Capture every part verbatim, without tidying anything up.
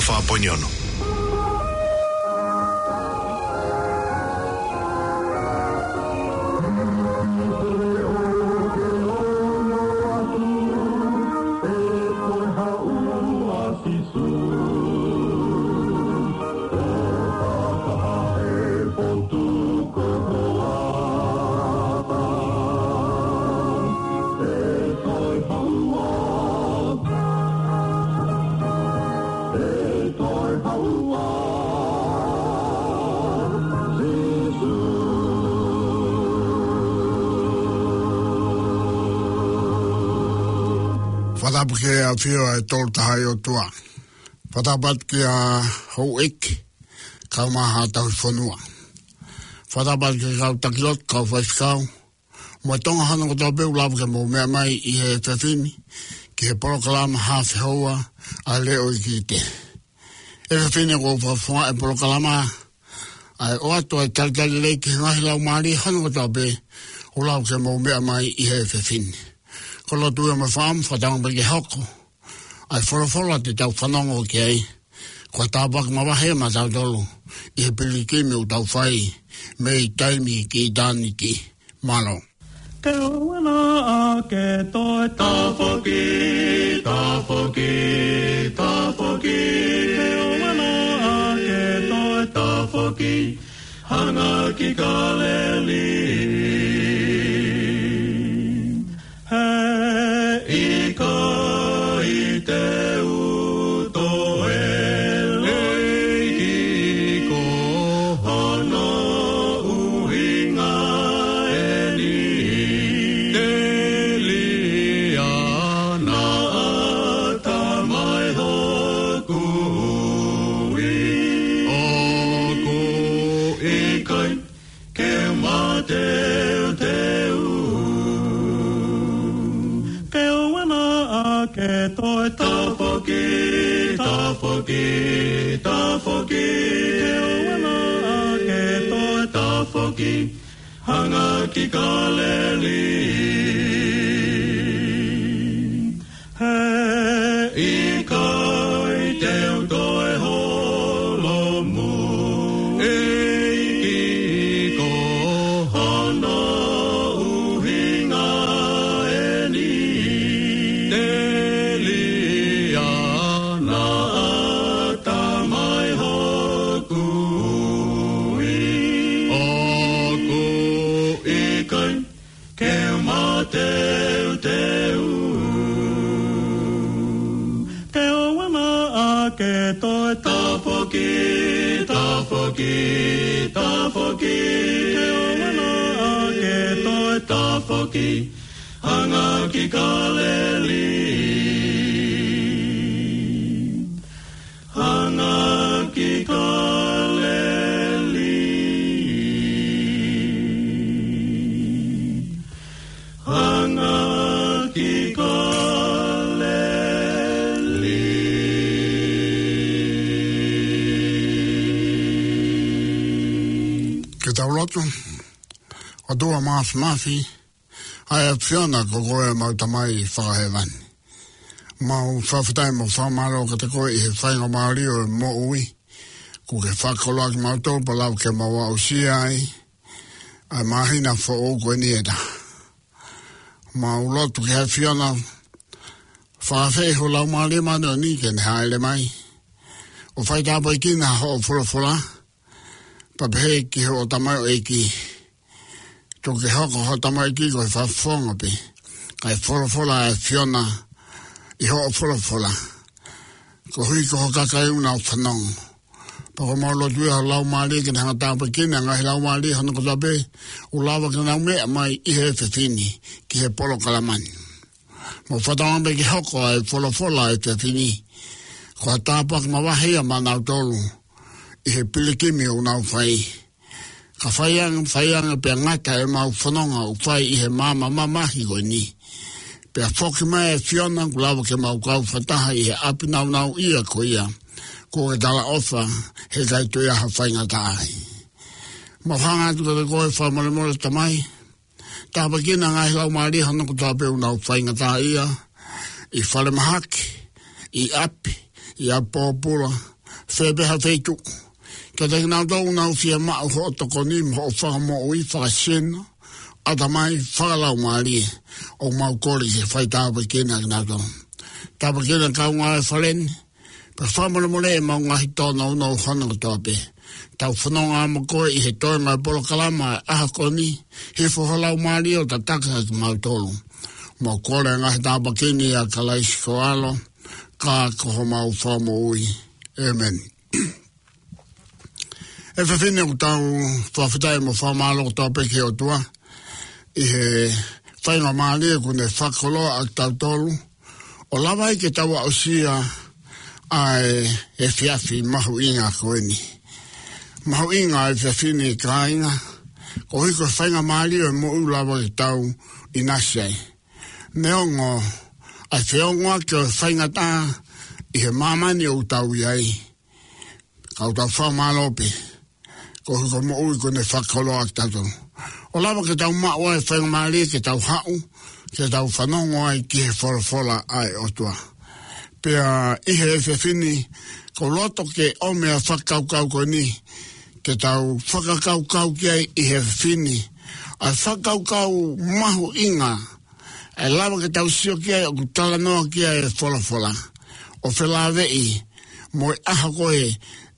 Fā poini ono. Fakatapu ki he ʻAfio ʻa e Tolu Tahaʻi ʻOtua. Fakatapu atu kia Houʻeiki, kae ʻumaʻā Tauhi Fonua. Fakatapu atu ki he kau taki lotu, kau faifekau, mo e Tonga hono kotoa pē ʻoku lava ke mou meʻa mai ʻi he efiafi ni ki he polokalama Hafe Houa ʻa e Leʻo Iiki Te. Efiafi ni ʻoku ou fakafofongaʻi e polokalama ʻa e ʻoatu ʻa e talitali lelei ki he ngaahi laumālie hono kotoa pē ʻoku lava ke mou meʻa mai ʻi he efiafi ni. Ko e lotu ia mo e fakaʻamu, fakatauange pē ke hoko ʻa e folofola te tau fanongo ki ai, ko e tāpuaki mavahe maʻatautolu ʻi he pilikimi ʻoku tau fai mei taimi ki ʻitāniti. Mālō. Ke ʻoua naʻa ke toe tafoki, tafoki, tafoki. Ke ʻoua naʻa ke toe tafoki, hanga ki Kāleli. He ʻikai te u toe ʻEiki, ko hono ʻuhinga eni, telia naʻa ta mai hoku ui, ʻoku ʻikai ke mateuteu. Ke ʻoua naʻa ke toe tafoki, tafoki, tafoki. Ke ʻoua naʻa ke toe tafoki, hanga ki Kāleli. He ʻikai te u toe holomui, ʻEiki, ko hono ʻuhinga eni, telia naʻa ta mai hoku ui, ʻoku ʻikai ke mateuteu. Ke ʻoua naʻa ke toe tafoki, tafoki, tafoki. Ke ʻoua naʻa ke toe tafoki, hanga ki Kāleli. Hanga ki Kāleli. Hanga ki Kāleli. Ke tau lotu. ʻOtua Māfimafi, ʻa e ʻAfiona ko koe ʻemau Tamai fakahēvani. Mau fakafetaʻi mo fakamālō kiate koe ʻi he faingamālie ʻo e moʻui kuo ke fakakoloa kimautolu pea lava ke mau aʻusia ai ʻa e māhina foʻou ko eni ʻe taha. Mau lotu ki he ʻAfiona, fakaafeʻi ho Laumālie Māʻoniʻoni ke ne hāʻele mai ʻo faitāpuekina hoʻo folofola, pea pehē ki hoʻo tamaioʻeiki. Tuku ke hoko hoʻo tamaioʻeiki ko e fakafofonga pē, kae folofola ʻa e ʻAfiona ʻi hoʻo folofola, koeʻuhi ko ho kakai ʻoku nau fanongo. Pea ko ʻemau lotu ia ho Laumālie ke ne hanga ʻo tāpuekina e ngaahi laumālie hono kotoa pē ʻoku lava ke nau meʻa mai ʻi he efiafi ni ki he polokalama ni. Mau fakatauange pē ke hoko ʻa e folofola ʻo e efiafi ni ko ha tāpuaki mavahe ia maʻanautolu ʻi he pilikimi ʻoku nau fai. Ka fai ange, fai ange pea ngata ʻemau fononga ʻoku fai ʻi he maama mamahi ko eni, pea foki mai e ʻAfiona kuo lava ke mau kau fakataha ʻi he ʻapi nāunauʻia ko ia kuo ke talaʻofa he ʻikai toe ʻi ai ha faingataʻa ai. Mau hanga atu kiate koe fakamolemole Tamai, tāpuekina e ngaahi laumālie hono kotoa pē ʻoku nau faingataʻaʻia, ʻi falemahaki, ʻi ʻapi, ʻi ʻapi pōpula, fē pē ha feituʻu. Kiate kinautolu ʻoku nau fiemaʻu hoʻo tokoni mo hoʻo fakamoʻui fakasino, ʻatamai, fakalaumālie, ʻoku mau kole ke fai tāpuekina kinautolu. Tāpuekina kaungā e fale ni, pea fakamolemole ʻemau ngaahi tōnounou hono kotoa pē. Tau fononga mo koe ʻi he toenga e polokalama ʻa e ʻaho ko eni, hifo ho Laumālie ʻo tataki kimautolu. Mau kole ngaahi tāpuekina ʻia Kalaisi ko ho ʻAlo, ka ko homau Fakamoʻui. ʻĒmeni. ʻE fefine, ʻoku tau fakafetaʻi mo fakamālō kotoa pē ki he ʻOtua ʻi he faingamālie kuo ne fakakoloa ʻa kitautolu ʻo lava ai ke tau aʻusia ʻa e efiafi mahuʻinga ko eni. Mahuʻinga ʻa e efiafi ni, kāinga, koeʻuhi ko e faingamālie ʻo e moʻui ʻoku lava ke tau ʻinasi ai. Neongo ʻa e feongoʻaki ʻo e faingataʻa ʻi he māmani ʻoku tau ʻi ai, ka ʻoku tau fakamālō pē koeʻuhi ko e moʻui kuo ne fakakoloa ʻa kitautolu ʻo lava ke tau maʻu ai e faingamālie ke tau haʻu ke tau fanongo ai ki he folofola ʻa e ʻOtua. Pea ʻi he efiafi ni, ʻoku ou loto ke ʻomai ʻa e fakakaukau ko eni ke tau fakakaukau ki ai ʻi he efiafi ni, ʻa e fakakaukau mahuʻinga ʻe lava ke tau sio ki ai ʻoku talanoa ki ai e folofola, ʻo felāveʻi mo e ʻaho ko ē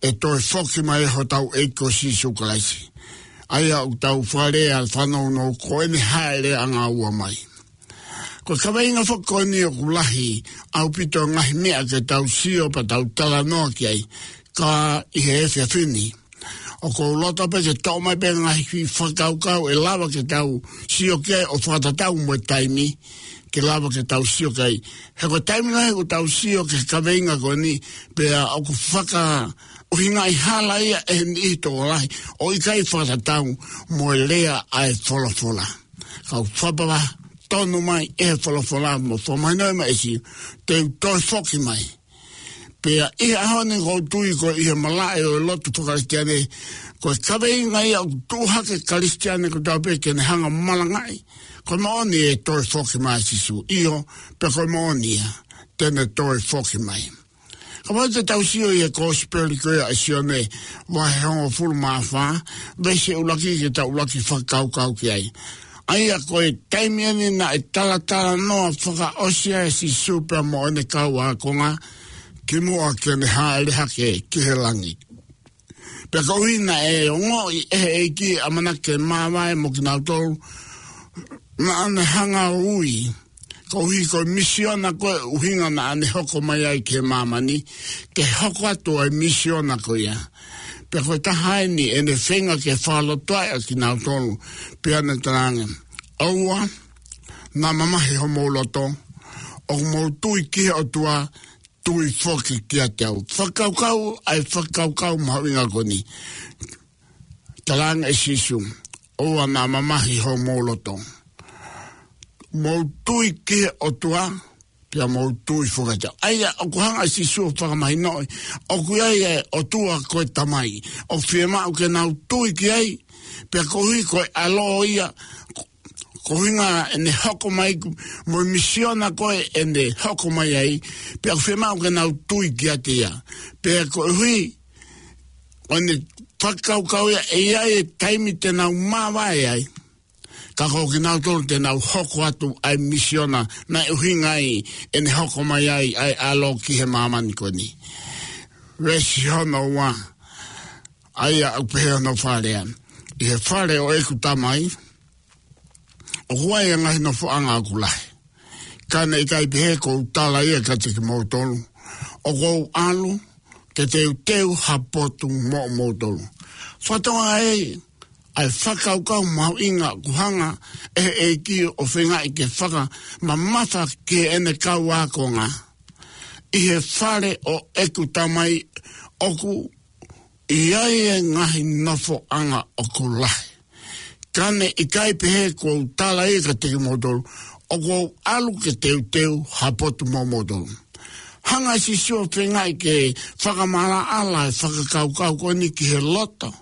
ʻe toe foki mai ai hotau ʻEiki ko Sīsū Kalaisi. ʻA ia ʻoku tau fakalea ʻa e fanongonongo ko ʻene hāʻeleʻanga ua mai. Ko e kaveinga foki ko eni ʻoku lahi ʻaupito e ngaahi meʻa ke tau sio pea tau talanoa ki ai, ka ʻi he efiafi ni, ʻoku ou loto pē ke toʻo mai pē ngaahi fakakaukau ʻe lava ke tau sio ki ai ʻo fakatatau mo e taimi ke lava ke tau sio ki ai. He ko e taimi lahi ʻoku tau sio ki he kaveinga ko eni, pea ʻoku fakaʻuhingaʻi hala ia ʻe he niʻihi tokolahi ʻo ʻikai fakatatau mo e lea ʻa e folofola. Ka ʻoku fakapapau tonu mai ʻe he folofola mo fakamahinoʻi mai ʻe Sīsū, te u toe foki mai. Pea ʻi he ʻaho ni ʻoku ou tui ko e ʻi he malaʻe ʻo e lotu faka-Kalisitiane, ko e kaveinga ia ʻoku tuʻu hake Kalisitiane kotoa pē ke ne hanga ʻo malangaʻi, ko e moʻoni ʻe toe foki mai ʻa Sīsū. ʻIo, pea ko e moʻoni ia, te ne toe foki mai. Kapau te tau sio ʻi he Kosipeli ko ia ʻa Sione, vahe hongofulu mā fā, veesi ʻuluaki ke tau ʻuluaki fakakaukau ki ai. ʻA ia ko e taimi eni naʻe talatalanoa fakaʻosi ai ʻa Sīsū pea mo ʻene kau ākonga kimuʻa ke ne hāʻele hake ki he langi. Pea koeʻuhi naʻe ongoʻi ʻe he ʻEiki ʻamanaki ke māvae mo kinautolu, naʻa ne hanga ʻo ui, koeʻuhi ko e misiona ko ē ʻuhinga naʻa ne hoko mai ai ki he māmani, ke hoko atu ʻa e misiona ko ia. Pea ko e taha eni ʻene feinga ke fakalotoaʻi ʻa kinautolu, pea ne talaange, ʻOua naʻa mamahi homou loto, ʻoku mou tui ki he ʻOtua, tui foki kiate au. Fakakaukau, ʻa e fakakaukau mahuʻinga ko eni. Talaange ʻe Sīsū, ʻOua naʻa mamahi homou loto. Mou tui ki he ʻOtua, pea mou tui foki kiate au. ʻA ia, ʻoku hanga ʻe Sīsū ʻo fakamahinoʻi, ʻoku ʻi ai e ʻOtua ko e Tamai. ʻOku fiemaʻu ke nau tui ki ai, pea koeʻuhi ko e ʻAlo ia, ko e ʻuhinga ʻene hoko mai, mo e misiona ko ē ʻene hoko mai ai, pea ʻoku fiemaʻu ke nau tui kiate ia. Pea koeʻuhi ko ʻene fakakaukau ia ʻe ʻi ai e taimi te nau māvae ai, ka ko kinautolu te nau hoko atu ʻa e misiona naʻe ʻuhinga ai ʻene hoko mai ai ʻa e ʻAlo ki he māmani ko eni. Veesi hono ua, ʻa ia ʻoku pehē hono fakalea: ʻI he fale ʻo ʻeku Tamai ʻoku ʻi ai e ngaahi nofoʻanga ʻoku lahi. Ka ne ʻikai pehē kuo u tala ia kiate kimoutolu, ʻoku ou ʻalu ke teuteu ha potu moʻomoutolu. Fakatonga ē, ʻa e fakakaukau mahuʻinga ʻoku hanga ʻe he ʻEiki ʻo feingaʻi ke fakamamafa ki heʻene kau ākonga. ʻI he fale ʻo ʻeku Tamai ʻoku ʻi ai e ngaahi nofoʻanga ʻoku lahi. Ka ne ʻikai pehē kuo u tala ia kiate kimoutolu, ʻoku ou ʻalu ke teuteu ha potu moʻomoutolu. Hanga ʻe Sīsū ʻo feingaʻi ke fakamaʻalaʻala e fakakaukau ko eni ki he loto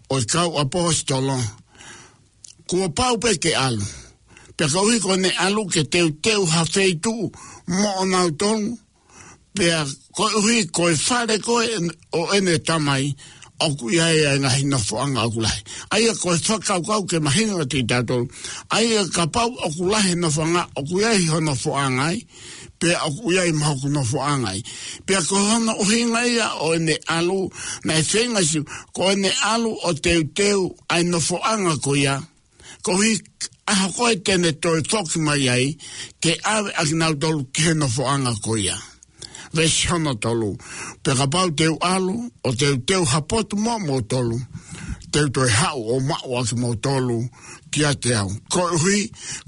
ʻo e kau ʻaposetolo. Kuo pau pē ke ʻalu. Pea koeʻuhi ko ʻene ʻalu ke teuteu ha feituʻu moʻonautolu, Pea koeʻuhi ko e fale ko ē ʻo ʻene Tamai, ʻoku ʻi ai ʻa e ngaahi nofoʻanga ʻoku lahi. ʻA ia ko e fakakaukau ke mahino kiate kitautolu, ʻa ia kapau ʻoku lahi e nofoʻanga, ʻoku ʻi ai hono nofoʻanga ai, pea ʻoku ʻi ai mo hoku nofoʻanga ai. Pea ko hono ʻuhinga ia ʻo ʻene ʻalu, naʻe feinga ʻa Sīsū, ko ʻene ʻalu ʻo teuteu ʻa e nofoʻanga ko ia, koeʻuhi ʻaho ko ē te ne toe foki mai ai, ke ʻave ʻa kinautolu ki he nofoʻanga ko ia. Veesi hono tolu. Pea kapau te u ʻalu ʻo teuteu ha potu moʻomoutolu, te u toe haʻu ʻo maʻu ʻa kimoutolu kiate au. Koeʻuhi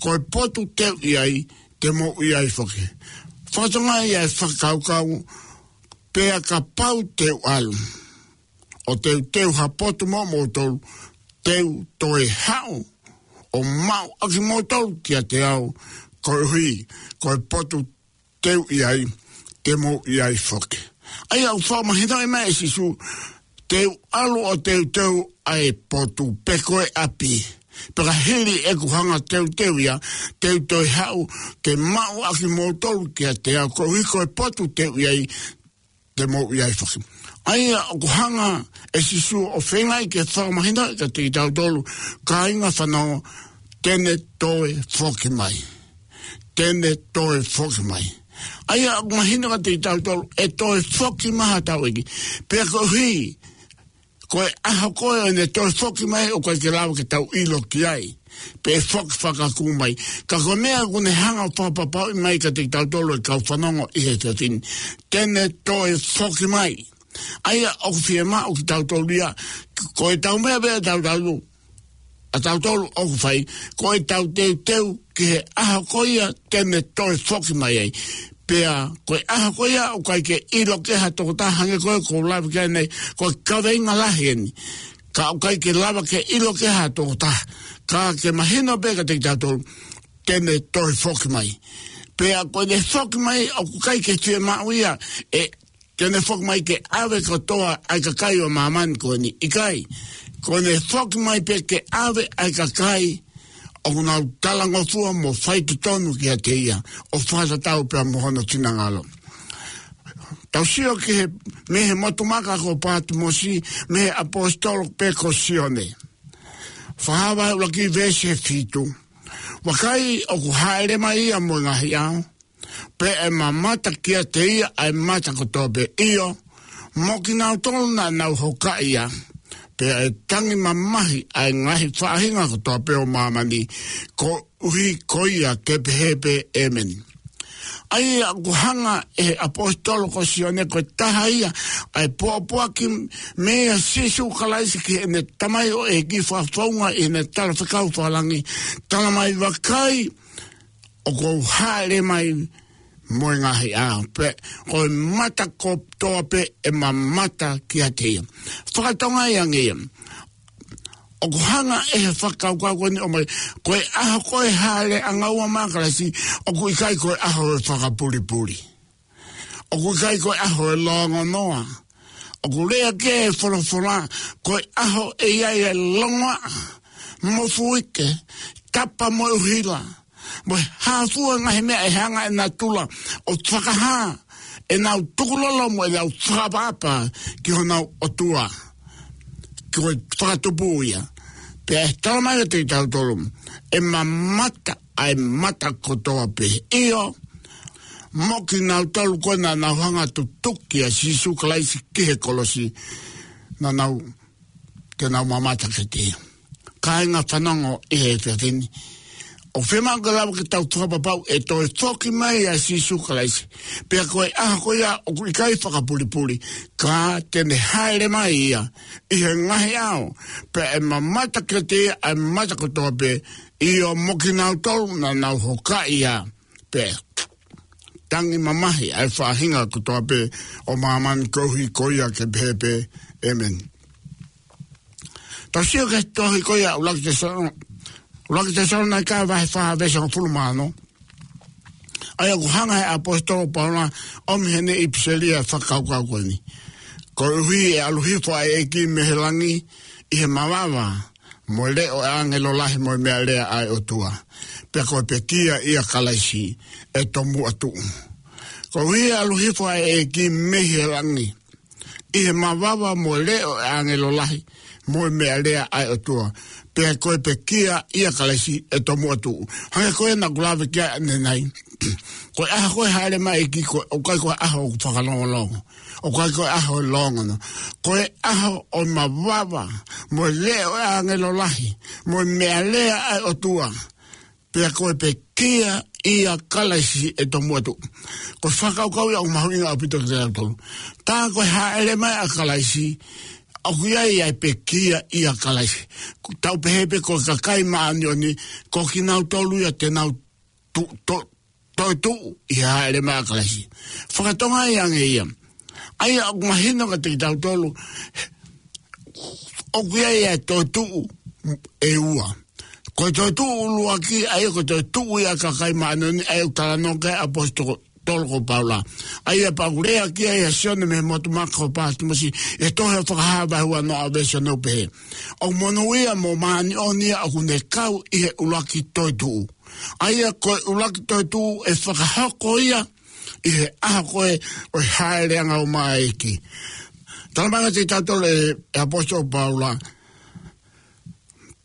ko e potu te u ʻi ai, te mou ʻi ai foki. Fakatokangaʻi ʻa e fakakaukau, pea kapau te u ʻalu ʻo teuteu ha potu moʻomoutolu, te u toe haʻu ʻo maʻu ʻa kimoutolu kiate au, koeʻuhi ko e potu te u ʻi ai, te mou ʻi ai foki. ʻA ia ʻoku fakamahinoʻi mai ʻe Sīsū, te u ʻalu ʻo teuteu ʻa e potu pe ko e ʻapi. Pea ka hili ʻeku hanga teuteu ia, te u toe haʻu ke maʻu ʻa kimoutolu kiate au, koeʻuhi ko e potu te u ʻi ai, te mou ʻi ai foki. ʻA ia ʻoku hanga ʻe Sīsū ʻo feingaʻi ke fakamahinoʻi kiate kitautolu, kāinga fanongo, te ne toe foki mai. Te ne toe foki mai. ʻA ia ʻoku mahino kiate kitautolu, ʻe toe foki mai ha tau ʻEiki. Pea koeʻuhi ko e ʻaho ko ē ʻo ʻene toe foki mai, ʻoku ʻikai ke lava ke tau ʻilo ki ai pe foki fakakū mai. Ka ko e meʻa ʻoku ne hanga ʻo fakapapauʻi mai kiate kitautolu ʻe kau fanongo ʻi he efiafi ni, te ne toe foki mai. ʻA ia ʻoku fiemaʻu kitautolu ia, ko e tau meʻa pē ʻa tautolu, ʻa tautolu ʻoku fai, ko e tau teuteu ki he ʻaho ko ia te ne toe foki mai ai. Pea ko e ʻaho ko ia ʻoku ʻikai ke ʻilo ki ai ha tokotaha, hangē ko e ʻoku ou lave ki ai nei, ko e kaveinga lahi eni. Ka ʻoku ʻikai ke lava ke ʻilo ki ai ha tokotaha. Ka ke mahino pē kiate kitautolu, te ne toe foki mai. Pea ko ʻene foki mai ʻoku ʻikai ke fiemaʻu ia ʻe te ne foki mai ke ʻave kotoa ʻa e kakai ʻo māmani ko eni. ʻIkai, ko ʻene foki mai pē ke ʻave ʻa e kakai ʻoku nau talangofua mo faitotonu kiate ia, ʻo fakatatau pea mo hono finangalo. Tau sio ki he, mei he motu maka ko Pātimosi, mei he ʻaposetolo pē ko Sione. Fakahā vahe ʻuluaki veesi fitu. Vakai, ʻoku hāʻele mai ia mo e ngaahi ʻao, pea ʻe mamata kiate ia ʻa e mata kotoa pē, ʻio, mo kinautolu naʻa nau hokaʻi ia, pea ʻe tangi mamahi ʻa e ngaahi faʻahinga kotoa pē ʻo māmani, koeʻuhi ko ia ke pehē pē, ʻĒmeni. ʻA ia ʻoku hanga ʻe he ʻaposetolo ko Sione, ko e taha ia ʻa e pōpoaki meia Sīsū Kalaisi ki heʻene Tamai ʻo e kiʻi fakafounga ʻi heʻene talafekau fakalangi, tala mai, vakai, ʻoku ou hāʻele mai mo e ngaahi ʻao, pea ko e mata kotoa pē ʻe mamata kiate ia. Fakatokangaʻi ange ia. ʻOku hanga ʻe he fakakaukau ko eni ʻo ʻomai, ko e ʻaho ko ē hāʻele ʻanga ua mai ʻa Kalaisi, ʻoku ʻikai ko e ʻaho ʻo e fakapulipuli. ʻOku ʻikai ko e ʻaho ʻo e longonoa. ʻOku lea ki ai e folofola, ko e ʻaho ʻe ʻi ai e longoaʻa, mofuike, tapa mo e ʻuhila, mo e hā fua e ngaahi meʻa ʻe hanga ʻe natula ʻo fakahā ʻenau tukulolo mo ʻenau fakaʻapaʻapa ki honau ʻOtua, ko e fakatupu ia. Pea ʻe tala mai kiate kitautolu, ʻe mamata ʻa e mata kotoa pē, ʻio, mo kinautolu ko ē naʻa nau hanga ʻo tutuki ʻa Sīsū Kalaisi ki he kolosi, naʻa nau, te nau mamata kiate ia. Kāinga fanongo ʻi he efiafi ni, ʻoku fiemaʻu ke lava ke tau fakapapau ʻe toe foki mai ʻa Sīsū Kalaisi. Pea ko e ʻaho ko ia ʻoku ʻikai fakapulipuli, ka te ne hāʻele mai ia ʻi he ngaahi ʻao, pea ʻe mamata kiate ia ʻa e mata kotoa pē, ʻio, mo kinautolu naʻa nau hokaʻi ia, pea ʻe tangi mamahi ʻa e faʻahinga kotoa pē ʻo māmani, koeʻuhi ko ia ke pehē pē, ʻĒmeni. Tau sio ki he tohi ko ia ʻuluaki Tesalo-, ʻuluaki Tesalonaika vahe fā veesi hongofulu mā ono. ʻA ia ʻoku hanga ʻe he ʻaposetolo ko Paula ʻo ʻomi heʻene ʻipiseli ʻa e fakakaukau ko eni. Koeʻuhi ʻe ʻalu hifo ʻa e ʻEiki mei he langi ʻi he mavava, mo e leʻo ʻo e ʻāngelo lahi mo e meʻalea ʻa e ʻOtua. Pea ko e pekia ʻia Kalaisi ʻe tomuʻa tuʻu. Koeʻuhi ʻe ʻalu hifo ʻa e ʻEiki mei he langi ʻi he mavava mo e leʻo ʻo e ʻāngelo lahi, mo e meʻalea ʻa e ʻOtua. Pea ko e pekia ʻia Kalaisi ʻe tomuʻa tuʻu. Hangē ko ē naʻa ku lave ki ai ʻanenai. Ko e ʻaho ko ē ʻe hāʻele mai ai e ʻEiki, ko e, ʻoku ʻikai ko e ʻaho ʻoku fakalongolongo. ʻOku ʻikai ko e ʻaho ʻe longono. Ko e ʻaho ʻo e mavava, mo e leʻo ʻo e ʻāngelo lahi, mo e meʻalea ʻa e ʻOtua. Pea ko e pekia ʻia Kalaisi ʻe tomuʻa tuʻu. Ko e fakakaukau ia ʻoku mahuʻinga ʻaupito kiate kitautolu. Tā ko e hāʻele mai ʻa Kalaisi, ʻoku ʻi ai ʻa e pekia ʻia Kalaisi. Tau pehē pē ko e kakai māʻoniʻoni, ko kinautolu ia te nau tu-, to-, toetuʻu ʻi he hāʻele mai ʻa Kalaisi. Fakatonga ia ange ia. ʻA ia ʻoku mahino kiate kitautolu, ʻoku ʻi ai ʻa e toetuʻu ʻe ua. Ko e toetuʻu ʻuluaki, ʻa ia ko e toetuʻu ia ʻa e kakai māʻoniʻoni, ʻa ia ʻoku talanoa ki ai ʻa e ʻaposetolo ko Paula. ʻA ia pea ʻoku lea ki ai ʻa Sione mei he motu maka ʻo Pātimosi, ʻi he tohi Fakahā vahe ua noa veesi ono, pehē: ʻOku monūʻia mo māʻoniʻoni ia ʻoku ne kau ʻi he ʻuluaki toetuʻu. ʻA ia ko e ʻuluaki toetuʻu ʻe fakahoko ia ʻi he ʻaho ko ē ʻo e hāʻele angaua mai ʻa e ʻEiki. Talamai kiate kitautolu ʻe he ʻaposetolo ko Paula: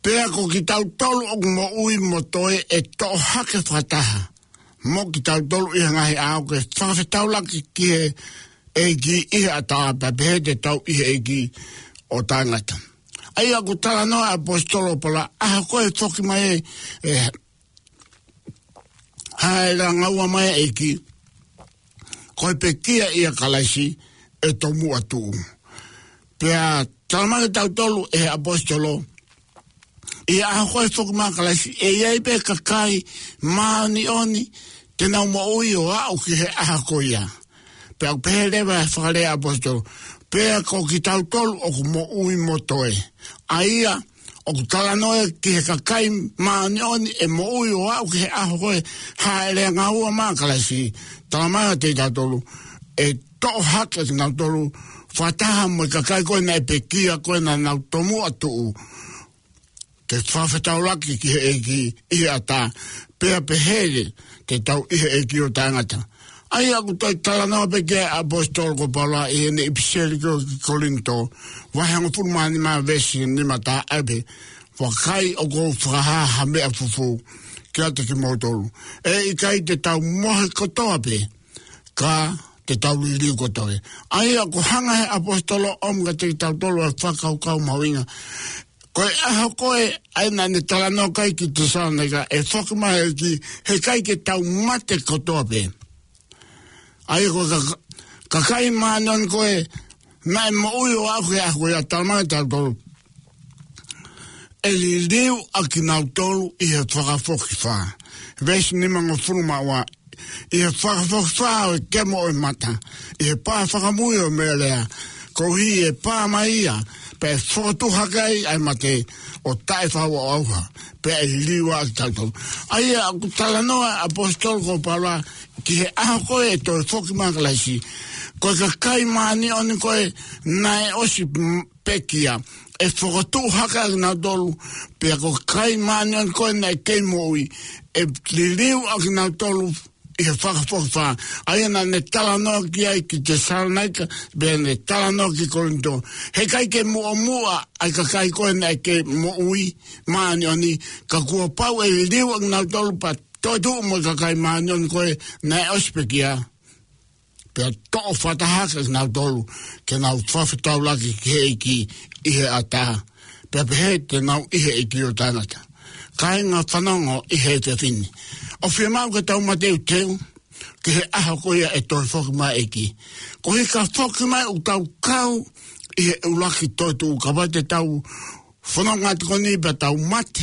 Pea ko kitautolu ʻoku moʻui mo toe, ʻe toʻo hake fakataha mo kitautolu ʻi he ngaahi ʻaho, ke fakafetaulaki ki he ʻEiki ʻi he ʻatā, pea pehē te tau ʻi he ʻEiki ʻo taʻengata. ʻA ia ʻoku talanoa ʻa e ʻaposetolo ko Paula, ʻaho ko ē ʻe foki mai ai e hāʻele angaua mai ʻa e ʻEiki, ko e pekia ʻia Kalaisi ʻe tomuʻa tuʻu. Pea talamai kiate kitautolu ʻe he ʻaposetolo, ʻi he ʻaho ko ē ʻe foki mai ai ʻa Kalaisi, ʻe ʻi ai pē kakai māʻoniʻoni te nau moʻui ʻo aʻu ki he ʻaho ko ia. Pea ʻoku pehē leva e fakalea ʻa e ʻaposetolo: Pea ko kitautolu ʻoku moʻui mo toe. ʻA ia ʻoku talanoa ki he kakai māʻoniʻoni ʻe moʻui ʻo aʻu ki he ʻaho ko ē ʻe hāʻele angaua mai ai ʻa Kalaisi. Talamai kiate kitautolu, ʻe toʻo hake kinautolu fakataha mo e kakai ko ē naʻe pekia, ko ē naʻa nau tomuʻa tuʻu, ke fakafetaulaki ki he ʻEiki ʻi he ʻatā, pea pehē te tau ʻi he ʻEiki ʻo taʻengata. ʻA ia ʻoku toe talanoa pē ki ai ʻa e ʻaposetolo ko Paula ʻi heʻene ʻipiseli ko ē ki Kolinitō, vahe hongofulu mā nima veesi nima, talamai pē: Vakai, ʻoku ou fakahā ha meʻa fufū kiate kimoutolu. ʻE ʻikai te tau mohe kotoa pē, ka te tau liliu kotoa pē. ʻA ia ʻoku hanga ʻe he ʻaposetolo ʻo ʻomi kiate kitautolu ʻa e fakakaukau mahuʻinga. Ko e ʻaho ko ē ʻa ia naʻa ne talanoa ki ai ki Tesalonaika, ʻe foki mai e ʻEiki, heʻikai ke tau mate kotoa pē. ʻA ia ko e ka-, kakai māʻoniʻoni ko ē naʻe moʻui ʻo aʻu ki he ʻaho ko ia, talamai kiate kitautolu, ʻe liliu ʻa kinautolu ʻi he fakafokifā. Veesi nimangofulu mā ua: ʻI he fakafokifā ʻo e kemo ʻo e mata, ʻi he pā fakamui ʻo e meʻalea, koeʻuhi ʻe pā mai ia, pea ʻe fokotuʻu hake ai ʻa e mate ʻo taʻe-faʻu-ʻauha, pea ʻe liliu ʻa kitautolu. ʻA ia ʻoku talanoa ʻa e ʻaposetolo ko Paula ki he ʻaho ko ē ʻe toe foki mai ai ʻa Kalaisi. Ko e kakai māʻoniʻoni ko ē naʻe ʻosi m-, pekia, ʻe fokotuʻu hake ʻa kinautolu, pea ko e kakai māʻoniʻoni ko ē naʻe kei moʻui, ʻe liliu ʻa kinautolu ʻi he fakafokifā. ʻA ia naʻa ne talanoa ki ai ki Tesalonaika, pea ne talanoa ki Kolinitō. Heʻikai ke muʻomuʻa ʻa e kakai ko ē naʻe kei moʻui māʻoniʻoni, ka kuo pau ʻe liliu ʻa kinautolu pea toetuʻu mo e kakai māʻoniʻoni ko ē naʻe ʻosi pekia, pea toʻo fakataha ʻa kinautolu ke nau fakafetaulaki ki he ʻEiki ʻi he ʻatā, pea pehē te nau ʻi he ʻEiki ʻo taʻengata. Kāinga fanongo ʻi he efiafi ni, ʻoku fiemaʻu ke tau mateuteu ki he ʻaho ko ia ʻe toe foki mai ai e ʻEiki. Koeʻuhi ka foki mai ʻoku tau kau ʻi he ʻuluaki toetuʻu, kapau te tau fononga atu ko eni pea tau mate,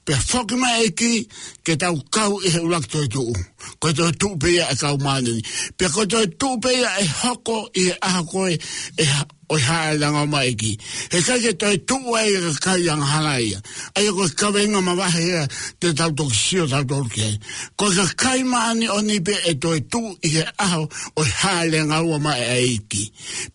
pea foki mai e ʻEiki, ke tau kau ʻi he ʻuluaki toetuʻu. Ko e toetuʻu pē ia ʻa e kau māʻoniʻoni. Pea ko e toetuʻu pē ia ʻe hoko ʻi he ʻaho ko ē ʻe ha-, ʻo e hāʻele angaua mai e ʻEiki. Heʻikai ke toetuʻu ai e kakai angahala ia. ʻA ia ko e kaveinga mavahe ia te tau toki sio tautolu ki ai. Ko e kakai māʻoniʻoni pē ʻe toetuʻu ʻi he ʻaho ʻo e hāʻele angaua mai ʻa e ʻEiki.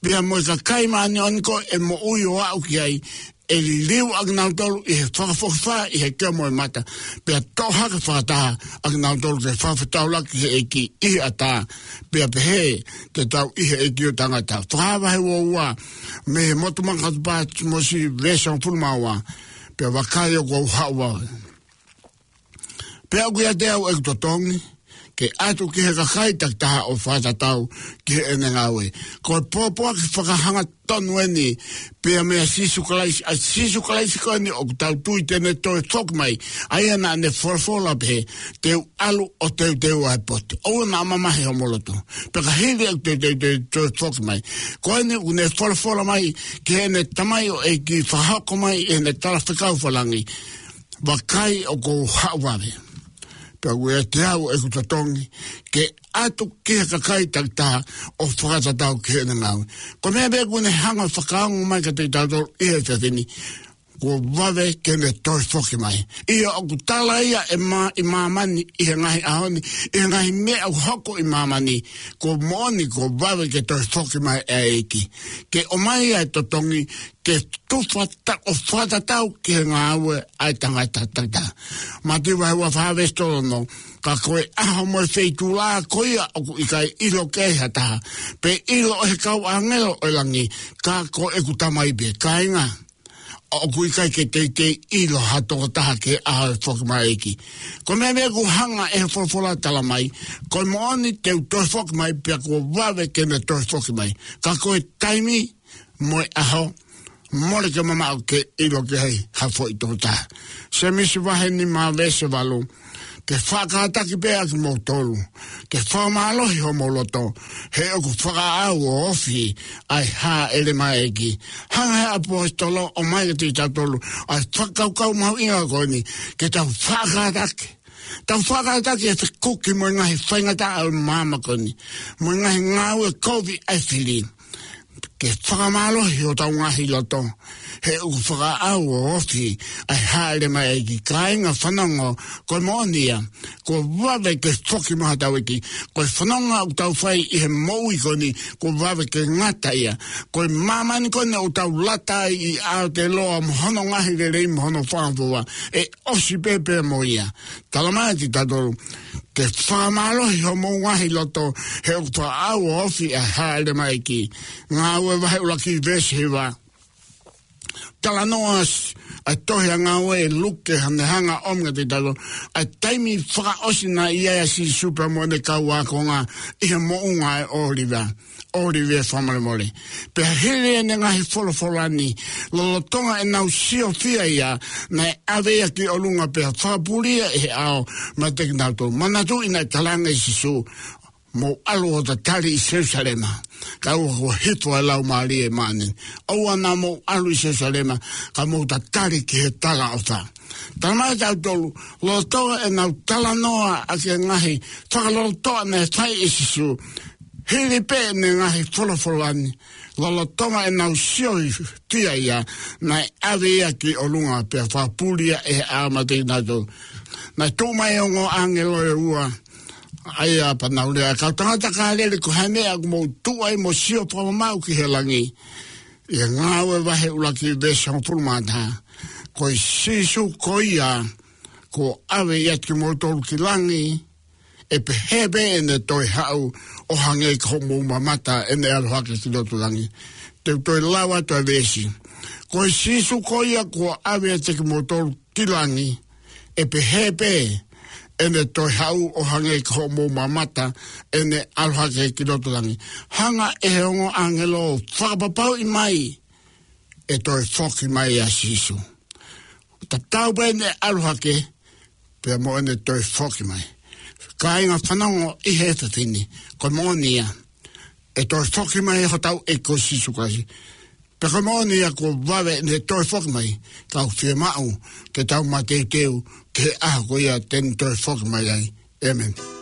Pea mo e kakai māʻoniʻoni ko ē ʻe moʻui ʻo aʻu ki ai, ʻe liliu ʻa kinautolu ʻi he fakafokifā ʻi he kea mo e mata, pea toʻo hake fakataha ʻa kinautolu ke fakafetaulaki ki he ʻEiki ʻi he ʻatā. Pea pehē te tau ʻi he ʻEiki ʻo taʻengata. Fakahā vahe ua ua, mei he Motu Makatupa Tīmote, veesi hongofulu mā ua. Pea vakai, ʻoku ou haʻu vave. Pea ʻoku ʻiate au ʻeku totongi ke ʻatu ki he kakai takitaha ʻo fakatatau ki heʻene ngāue. Ko e pōpoaki fakahangatonu eni pea meia Sīsū Kalaisi, ʻa Sīsū Kalaisi ko eni ʻoku tau tui te ne toe foki mai. ʻA ia naʻa ne folofola pehē, te u ʻalu ʻo teuteu ʻa e potu. ʻOua naʻa mamahi homou loto. Pea ka hili ʻeku teuteu te u toe foki mai. Ko eni ʻoku ne folofola mai ki heʻene tamaioʻeiki, fakahoko mai ʻi heʻene talafekau fakalangi. Vakai, ʻoku ou haʻu vave. Pea ʻoku ʻiate au ʻeku totongi ke ʻatu ki he kakai takitaha ʻo fakatatau ki heʻene ngāue. Ko e meʻa pē ʻoku ne hanga fakaongo mai kiate kitautolu ʻi he efiafi ni, kuo vave ke ne toe foki mai. ʻIo, ʻoku tala ia ʻe mā-, ʻi māmani, ʻi he ngaahi ʻaho ni, ʻi he ngaahi meʻa ʻoku hoko ʻi māmani, kuo moʻoni kuo vave ke toe foki mai ʻa e ʻEiki ke ʻomai ʻa e totongi ke tufa ta-, ʻo fakatatau ki he ngāue ʻa e tangata takitaha. Mātiu vahe ua fā veesi tolu ono, ka ko e ʻaho mo e feituʻu ko ia ʻoku ʻikai ʻilo ki ai ha taha, pe ʻilo ʻe he kau ʻāngelo ʻo e langi, ka ko ʻeku Tamai pē. Kāinga, ʻoku ʻikai ke teitei ʻilo ha tokotaha ki he ʻaho ʻe foki mai ʻa e ʻEiki. Ko e meʻa pē ʻoku hanga ʻe he folofola tala mai, ko e moʻoni te u toe foki mai pea kuo vave ke ne toe foki mai. Ka ko e taimi mo e ʻaho, mole ke mamaʻo ke ʻilo ki ai ha foʻi tokotaha. Sēmisi vahe nima veesi valu, ke fakakātaki pē ʻa kimoutolu, ke fakamālohi homou loto, he ʻoku fakaʻau ʻo ofi ʻa e hāʻele mai ʻa e ʻEiki. Hanga ʻe he ʻaposetolo ʻo ʻomai kiate kitautolu ʻa e fakakaukau mahuʻinga ko eni, ke tau fakakātaki. Tau fakakātaki e fekuki mo e ngaahi faingataʻa ʻo e māmani ko eni, mo e ngaahi ngāue kovi ʻa e fili, ke fakamālohi hotau ngaahi loto, he ʻoku fakaʻau ʻo ofi ʻa e hāʻele mai ʻa e ʻEiki. Kāinga, fanongo, ko e moʻoni ia, kuo vave ke foki mai hotau ʻEiki. Ko e fononga ʻoku tau fai ʻi he moʻui ko eni, kuo vave ke ngata ia. Ko e māmani ko eni ʻoku tau lata ai ʻi Aotearoa mo hono ngaahi lelei mo hono fakafoa, ʻe ʻosi pē pea mo ia. Tala mai kiate kitautolu, ke fakamālohi homou ngaahi loto, he ʻoku fakaʻau ʻo ofi ʻa e hāʻele mai ʻa e ʻEiki. Ngāue vahe ʻuluaki veesi hiva. Talanoa ʻa e tohi ʻa Ngāue ʻe Luke, ʻa ʻene hanga ʻo ʻomi kiate kitautolu ʻa e taimi fakaʻosi naʻe ʻi ai ʻa Sīsū pea mo ʻene kau ākonga ʻi he moʻunga ʻo e ʻŌliva, ʻŌliva fakamolemole. Pea hili ʻene ngaahi folofola ni, lolotonga ʻenau siofia ia, naʻe ʻave ia ki ʻolunga pea fakapulia ʻe he ʻao meiate kinautolu. Manatuʻi naʻe talaange ʻe Sīsū, mou ʻalu ʻo tatali ʻi Selūsalema, kae ʻoua kuo hifo ʻa e Laumālie Māʻoniʻoni. ʻOua naʻa mou ʻalu ʻi Selūsalema, ka mou tatali ki he talaʻofa. Tala mai kiate kitautolu, lolotonga ʻenau talanoa ʻaki e ngaahi fakalolotoʻa naʻe fai ʻe Sīsū, hili pē ʻene ngaahi folofola ni, lolotonga ʻenau siofia ia, naʻe ʻave ia ki ʻolunga pea fakapulia ʻe he ʻao meiate kinautolu. Naʻe tuʻu mai e ongo ʻāngelo ʻe ua, ʻa ia pea nau lea, kau tangata Kāleli, ko e hā e meʻa ʻoku mou tuʻu ai mo sio fakamamaʻu ki he langi? ʻI he Ngāue vahe ʻuluaki veesi hongofulu mā taha, ko e Sīsū ko ia kuo ʻave ʻiate kimoutolu ki langi, ʻe pehē pē ʻene toe haʻu ʻo hangē ko hoʻomou mamata ʻene ʻalu hake ki loto langi. Te u toe lau atu ʻa e veesi. Ko e Sīsū ko ia kuo ʻave ʻiate kimoutolu ki langi, ʻe pehē pē ʻene toe haʻu ʻo hangē ko hoʻomou mamata ʻene ʻalu hake ki loto langi. Hanga ʻe he ongo ʻāngelo ʻo fakapapauʻi mai ʻe toe foki mai ʻa Sīsū. Tatau pē ʻene ʻalu hake pea mo ʻene toe foki mai. Kāinga, fanongo ʻi he efiafi ni, ko e moʻoni ia, ʻe toe foki mai hotau ʻEiki ko Sīsū Kalaisi. Pea ko e moʻoni ia, kuo vave ʻene toe foki mai, ka ʻoku fiemaʻu ke tau mateuteu ki he ʻaho ko ia te ne toe foki mai ai. ʻĒmeni.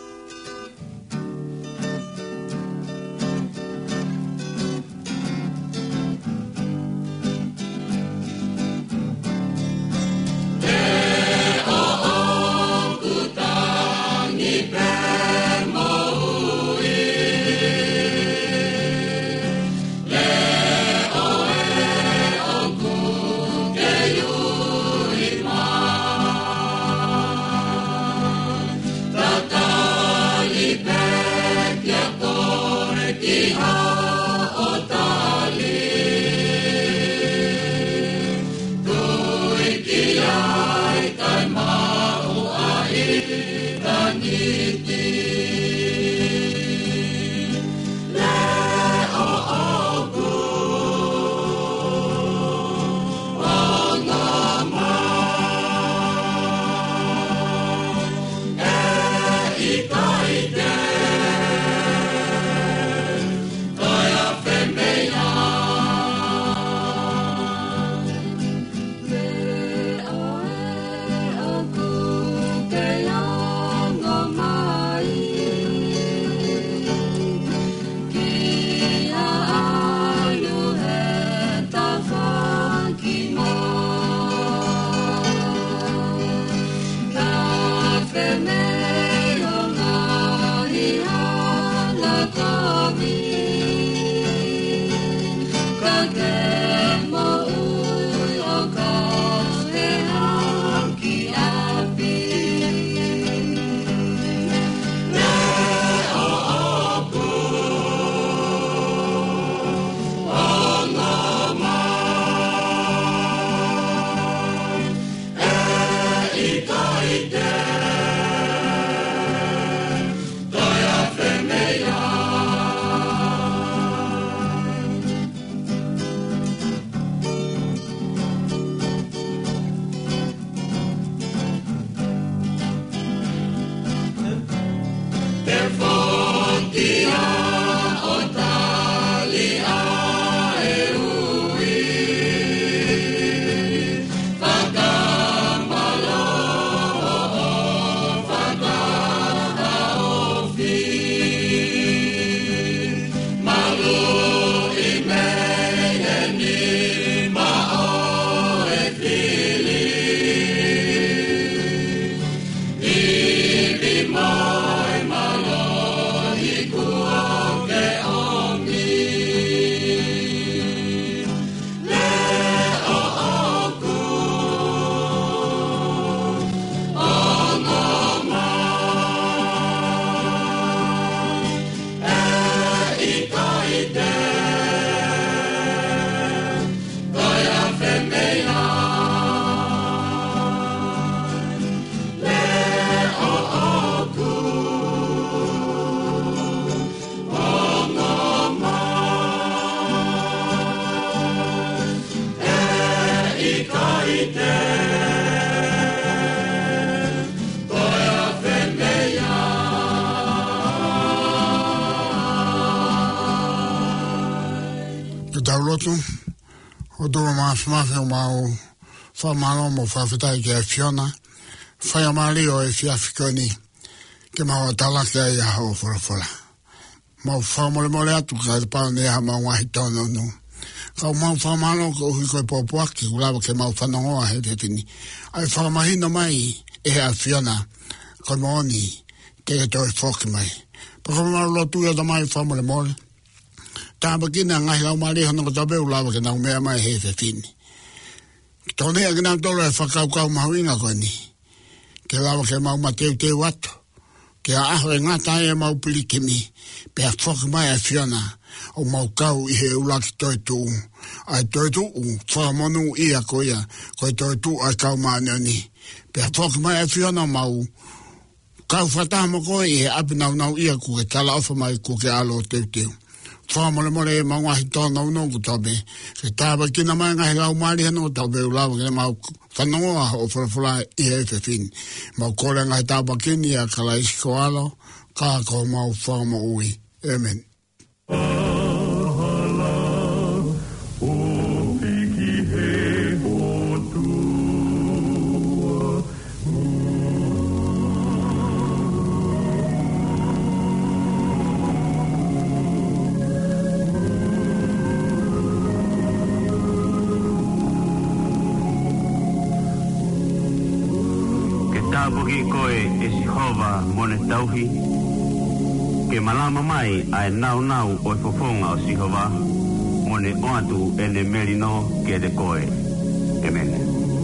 Ke tau lotu. ʻOtua Māfimafi, ʻoku mau fakamālō mo fakafetaʻi ki he ʻAfiona, fai ʻa mālie ʻo e efiafi ko eni, ke mau talaki ai ʻa hoʻo folofola. Mau fakamolemole atu ka te pau ne ha mau ngaahi tōnounou. Ka ʻoku mau fakamālō koeʻuhi ko e pōpoaki ʻoku lava ke mau fanongoa he efiafi ni. ʻA e fakamahino mai ʻe he ʻAfiona, ko e moʻoni, te ke toe foki mai. Pea ʻoku mau lotu ia Tamai fakamolemole. Tāpuakiʻi ʻa e ngaahi laumālie hono kotoa pē ʻoku lava ke nau meʻa mai he efiafi ni. Ke tokoniʻi kinautolu ʻe he fakakaukau mahuʻinga ko eni. Ke lava ke mau mateuteu atu. Ki he ʻaho ʻe ngata ai ʻemau pilikimi. Pea foki mai ʻa e ʻAfiona. ʻOku mau kau ʻi he ʻuluaki toetuʻu. ʻA e toetuʻu fakamonūʻia ko ia. Ko e toetuʻu ʻa e kau māʻoniʻoni. Pea foki mai ʻa e ʻAfiona ʻo mau kau fakataha mo koe ʻi he ʻapi nāunauʻia kuo ke talaʻofa mai kuo ke ʻalu ʻo teuteu. Fakamolemole ʻemau ngaahi tōnounou kotoa pē. Ke tāpuakiʻi mai ʻa e ngaahi laumālie hono kotoa pē ʻoku lava ke mau fanongoa hoʻo folofola ʻi he efiafi ni. Mau kole ʻa e ngaahi tāpuaki ni ʻia Kalaisi ko ho ʻAlo, ka ko homau Fakamoʻui. ʻĒmeni. Ke tāpuakiʻi koe ʻe Sihova mo ne tauhi, ke malama mai ʻa e nāunau ʻo e fofonga ʻo Sihova, mo ne ʻoatu ʻene melino kiate koe. ʻĒmeni.